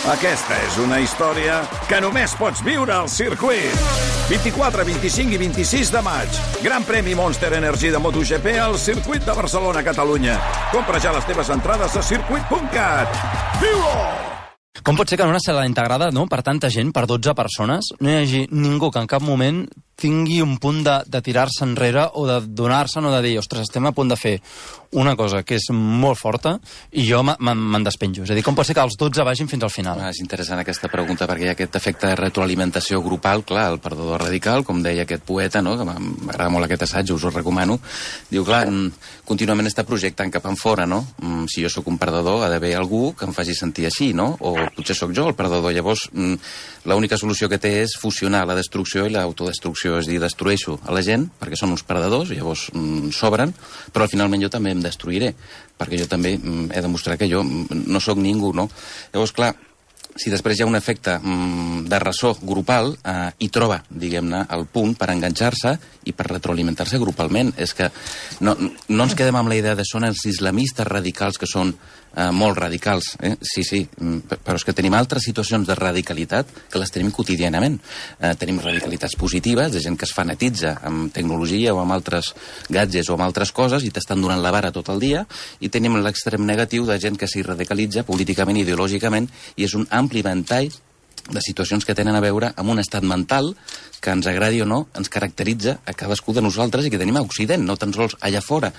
Aquesta és una història que només pots viure al circuit. 24, 25 i 26 de maig. Gran premi Monster Energy de MotoGP al circuit de Barcelona, Catalunya. Compra ja les teves entrades a circuit.cat. Viu-ho! Com pot ser que en una sala integrada, no, per tanta gent, per 12 persones, no hi hagi ningú que en cap moment tingui un punt de tirar-se enrere o de donar-se'n o de dir, ostres, estem a punt de fer una cosa que és molt forta i jo me'n despenjo. És a dir, com pot ser que els 12 vagin fins al final? És interessant aquesta pregunta perquè hi ha aquest efecte de retroalimentació grupal, clar, el perdedor radical, com deia aquest poeta, no? Que m'agrada molt aquest assaig, us ho recomano. Diu, clar, contínuament està projectant cap enfora, no? Si jo sóc un perdedor, ha d'haver algú que em faci sentir així, no? O potser sóc jo el perdedor. Llavors, l'única solució que té és fusionar la destrucció i l'autodestrucció. És dir, destrueixo a la gent perquè són uns perdedors, llavors sobren, però finalment jo també em destruiré, perquè jo també he demostrat que jo no sóc ningú, no? Llavors, clar, si després hi ha un efecte de ressò grupal, hi troba, diguem-ne, el punt per enganxar-se i per retroalimentar-se grupalment. És que no ens quedem amb la idea de són els islamistes radicals que són molt radicals, sí, però és que tenim altres situacions de radicalitat que les tenim quotidianament. Tenim radicalitats positives, de gent que es fanatitza amb tecnologia o amb altres gadgets o amb altres coses i t'estan donant la vara tot el dia, i tenim l'extrem negatiu de gent que s'hi radicalitza políticament i ideològicament, i és un ampli ventall de situacions que tenen a veure amb un estat mental que, ens agradi o no, ens caracteritza a cadascú de nosaltres i que tenim a Occident, no tan sols allà fora.